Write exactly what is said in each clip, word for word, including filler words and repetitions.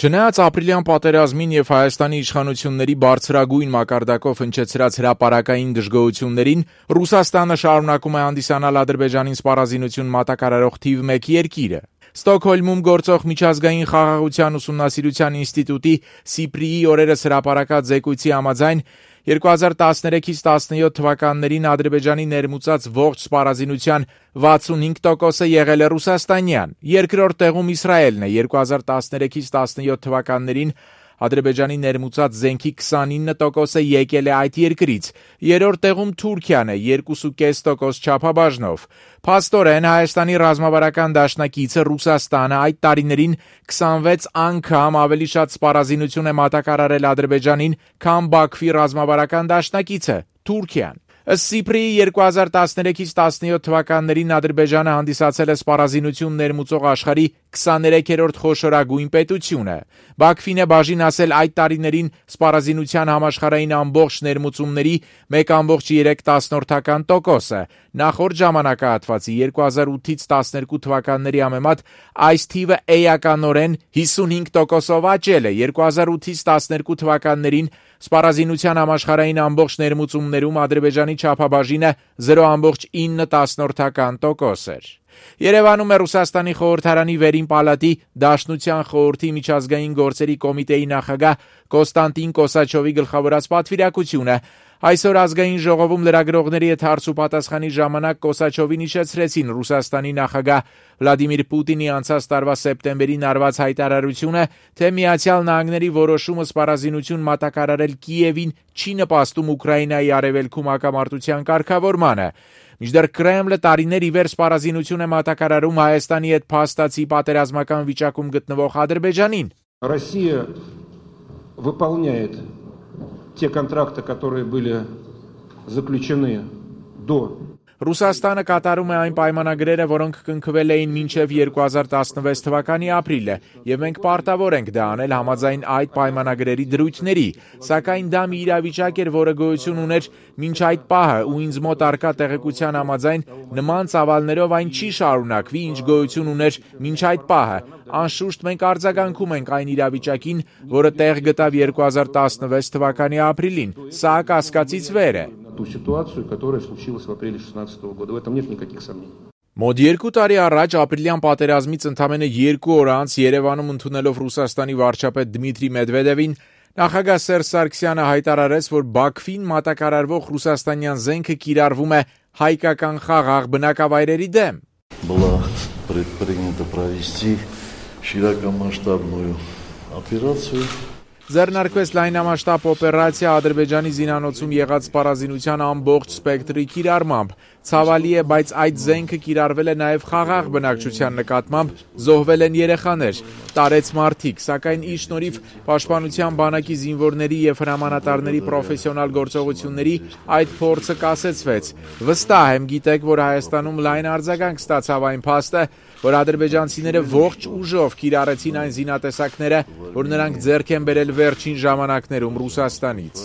Չնայած ապրիլյան պատերազմին եւ Հայաստանի իշխանությունների բարձրագույն մակարդակով հնչեցրած հրապարակային դժգոհություններին, Ռուսաստանը շարունակում է հանդիսանալ Ադրբեջանին սպառազինություն մատակարարող թիվ մեկ երկիրը։ Ստոկհոլմում գործող միջազգային խաղաղության ուսումնասիրության ինստիտուտի Սիպրիի օրերս հրապարակած զեկույցի համաձայն երկու հազար տասներեքից տասնյոթ թվականներին Ադրբեջանի ներմուծած ողջ սպառազինության վաթսունհինգ տոկոսը եղել է ռուսաստանյան, երկրորդ տեղում Իսրայելն է, երկու հազար տասներեքից տասնյոթ թվականներին Ադրբեջանի ներմուծած զենքի քսանինը տոկոսը եկել է այդ երկրից, երրորդ տեղում Թուրքիան է երկու կόμμα պենս տոկոս չափաբաժնով։ Փաստորեն Հայաստանի ռազմավարական դաշնակիցը Ռուսաստանը այդ տարիներին քսանվեց անգամ ավելի շատ սպառազինություն է մատակարարել Ադրբեջանին, քան Բաքվի ռազմավարական դաշնակիցը Թուրքիան։ Ըստ Սիպրիի երկու հազար տասներեքից տասնյոթ թվականներին Ադրբեջանը հանդիսացել է սպառազինություն ներմուծող աշխարհի քսաներեքերորդ խոշորագույն պետությունը։ Բաքվին է բաժին ասել այդ տարիներին սպառազինության համաշխարհային ամբողջ ներմուծումների մեկ կόμma երեք տոկոսը։ Նախորդ ժամանակահատվածի երկու հազար ութից տասներկու թվականների համեմատ այս թիվը էականորեն հիսունհինգ տոկոսով աճել է։ երկու հազար ութից տասներկու թվականներին սպառազինության համաշխարհային ամբողջ ներմուծումներում Ադրբեջանի չափաբաժինը զիրո կόμma ինը տոկոս էր։ Երևանում է Ռուսաստանի խորհրդարանի վերին պալատի Դաշնության խորհրդի միջազգային գործերի կոմիտեի նախագահ Կոստանտին Կոսաչովի գլխավորած պատվիրակությունը։ Այսօր ազգային ժողովում լրագրողների հետ հարցուպատասխանի ժամանակ Կոսաչովին իջեցրեցին Ռուսաստանի նախագահ Վլադիմիր Պուտինի անցած տարվա սեպտեմբերին արված հայտարարությունը, թե Միացյալ Նահանգների որոշումը սպառազինություն մատակարարել Կիևին չի նպաստում Ուկրաինայի արևելքում հակամարտության կարգավորմանը։ Մինչդեռ Կրեմլը տարիներ ի վեր սպառազինություն է մատակարարում Հայաստանի հետ փաստացի պատերազմական վիճակում գտնվող Ադրբեջանին։ Россия выполняет те контракты, которые были заключены до Ռուսաստանը կատարում է այն պայմանագրերը, որոնք կնքվել էին մինչև երկու հազար տասնվեց թվականի ապրիլը, եւ մենք պարտավոր ենք դա անել համաձայն այդ պայմանագրերի դրույթների, սակայն դա մի իրավիճակ էր, որը գոյություն ուներ մինչ այդ պահը, ու ինձ մոտ առկա տեղեկության համաձայն նման ծավալներով այն չի շարունակվի, ինչ գոյություն ուներ մինչ այդ пահը։ Անշուշտ մենք արձագանքում ենք այն իրավիճակին, որը տեղ գտավ երկու հազար տասնվեց թվականի ապրիլին։ Սա կասկածից վեր է։ ту ситуацию, которая случилась в апреле шестнадцатого года. В этом нет никаких сомнений. Մոտ երկու տարի առաջ ապրիլյան պատերազմից ընդամենը երկու օր անց Երևանում ընդունելով Ռուսաստանի վարչապետ Դմիտրի Մեդվեդևին, նախագահ Սերժ Սարգսյանը հայտարարեց, որ Բաքվին մատակարարվող ռուսաստանյան զենքը կիրառվում է հայկական խաղաղ բնակավայրերի դեմ։ Была предпринято провести широкомасштабную операцию. Ձեռնարկվեց լայնամասշտաբ օպերացիա Ադրբեջանի զինանոցում եղած սպառազինության ամբողջ սպեկտրի կիրառմամբ։ Ցավալի է, բայց այդ զենքը կիրառվել է նաև խաղաղ բնակչության նկատմամբ, զոհվել են երեխաներ, տարեց մարդիկ, սակայն ի շնորհիվ Պաշտպանության բանակի զինվորների եւ հրամանատարների պրոֆեսիոնալ գործողությունների այդ փորձը կասեցվեց։ Վստահ եմ, գիտեք, որ Հայաստանում լայն արձագանք ստացավ այն փաստը, որ ադրբեջանցիները ողջ ուժով կիրառեցին այն զինատեսակները, որ նրանք ձեռք են բերել վերջին ժամանակներում Ռուսաստանից։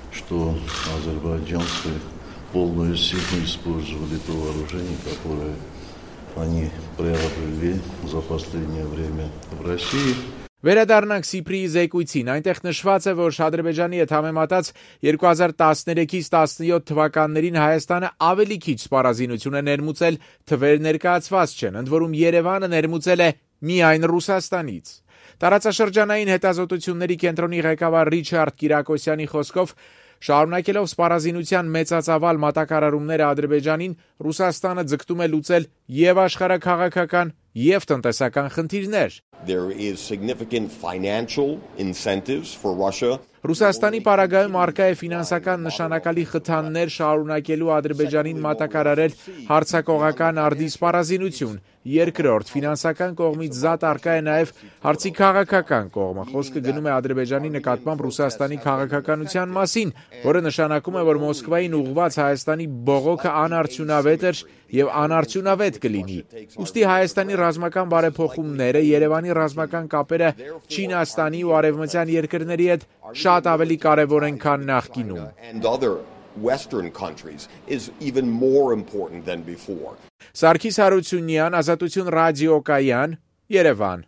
Что азербайджанцы полную силу использовали то вооружение, которое они приобрели за последнее время в России. Վերադառնանք Սիպրիի զեկույցին, այնտեղ նշված է, որ Ադրբեջանի հետ համեմատած երկու հազար տասներեքից տասնյոթ թվականներին Հայաստանը ավելի քիչ սպառազինություն է ներմուծել, թվեր ներկայացված չեն, ընդ որում Երևանը ներմուծել է միայն Ռուսաստանից։ Տարածաշրջանային հետազոտությունների կենտրոնի ղեկավար Ռիչարդ Կիրակոսյանի խոսքով, շարունակելով սպառազինության մեծածավալ մատակարարումները Ադրբեջանին, Ռուսաստանը ձգտում է լուծել եւ աշխարհաքաղաքական եւ տնտեսական խնդիրներ։ There is significant financial incentives for Russia. Ռուսաստանի պարագայում արկա է ֆինանսական նշանակալի խթաններ շարունակելու Ադրբեջանին մատակարարել հարձակողական արդի սպառազինություն։ Երկրորդ, ֆինանսական կողմից զատ արկա է նաև հարցի քաղաքական կողմը։ Խոսքը գնում է Ադրբեջանի նկատմամբ Ռուսաստանի քաղաքականության մասին, որը նշանակում է, որ Մոսկվային ուղղված Հայաստանի բողոքը անարդյունավետ էր եւ անարդյունավետ կլինի։ Ուստի Հայաստանի ռազմական բարեփոխումները, Երևանի ռազմական կապերը Չինաստանի ու արևմտյան երկրների հետ շատ ավելի կարևոր են, քան նախկինում։ Western countries is even more important than before. Սարգիս Հարությունյան, Ազատություն ռադիոկայան, Երևան։